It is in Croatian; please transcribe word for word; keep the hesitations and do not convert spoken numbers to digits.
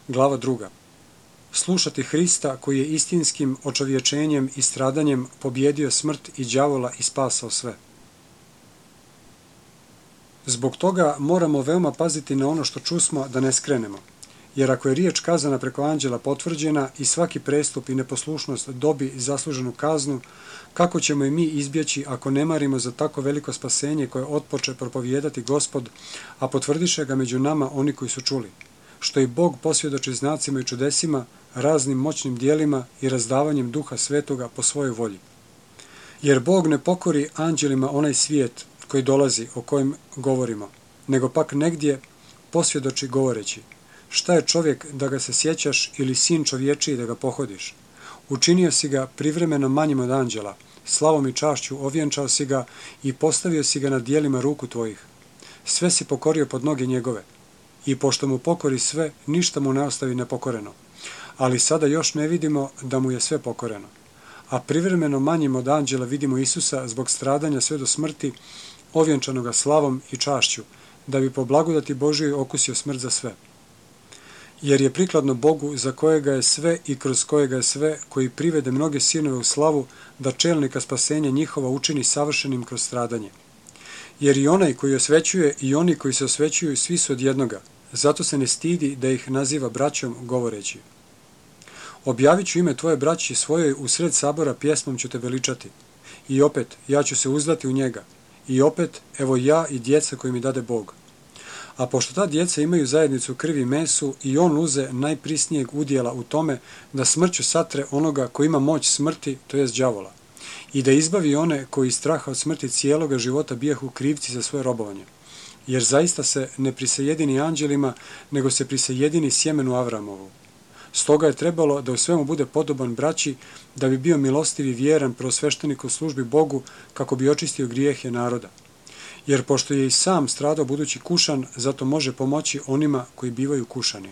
Glava druga. Slušati Hrista koji je istinskim očovječenjem i stradanjem pobjedio smrt i đavola i spasao sve. Zbog toga moramo veoma paziti na ono što čusmo da ne skrenemo, jer ako je riječ kazana preko anđela potvrđena i svaki prestup i neposlušnost dobi zasluženu kaznu, kako ćemo i mi izbjeći ako ne marimo za tako veliko spasenje koje otpoče propovijedati Gospod, a potvrdiše ga među nama oni koji su čuli, što i Bog posvjedoči znacima i čudesima, raznim moćnim dijelima i razdavanjem Duha Svetoga po svojoj volji. Jer Bog ne pokori anđelima onaj svijet koji dolazi, o kojem govorimo, nego pak negdje posvjedoči govoreći: šta je čovjek da ga se sjećaš ili sin čovječiji da ga pohodiš? Učinio si ga privremeno manjim od anđela, slavom i čašću ovjenčao si ga i postavio si ga na dijelima ruku tvojih. Sve si pokorio pod noge njegove. I pošto mu pokori sve, ništa mu ne ostavi nepokoreno. Ali sada još ne vidimo da mu je sve pokoreno. A privremeno manjim od anđela vidimo Isusa zbog stradanja sve do smrti, ovjenčanoga slavom i čašću, da bi po blagodati Božjoj okusio smrt za sve. Jer je prikladno Bogu, za kojega je sve i kroz kojega je sve, koji privede mnoge sinove u slavu, da čelnika spasenja njihova učini savršenim kroz stradanje. Jer i onaj koji osvećuje i oni koji se osvećuju, svi su od jednoga, zato se ne stidi da ih naziva braćom, govoreći: objavit ću ime tvoje braći svojoj, u sred sabora pjesmom ću te veličati. I opet, ja ću se uzdati u njega. I opet, evo ja i djeca koji mi dade Bog. A pošto ta djeca imaju zajednicu krvi i mesu, i on uze najprisnijeg udjela u tome da smrću satre onoga koji ima moć smrti, to jest đavola, i da izbavi one koji iz straha od smrti cijeloga života bijahu krivci za svoje robovanje. Jer zaista se ne prisajedini anđelima, nego se prisajedini sjemenu Avramovu. Stoga je trebalo da u svemu bude podoban braći, da bi bio milostiv i vjeran prvosveštenik u službi Bogu, kako bi očistio grijehe naroda. Jer pošto je i sam stradao budući kušan, zato može pomoći onima koji bivaju kušani.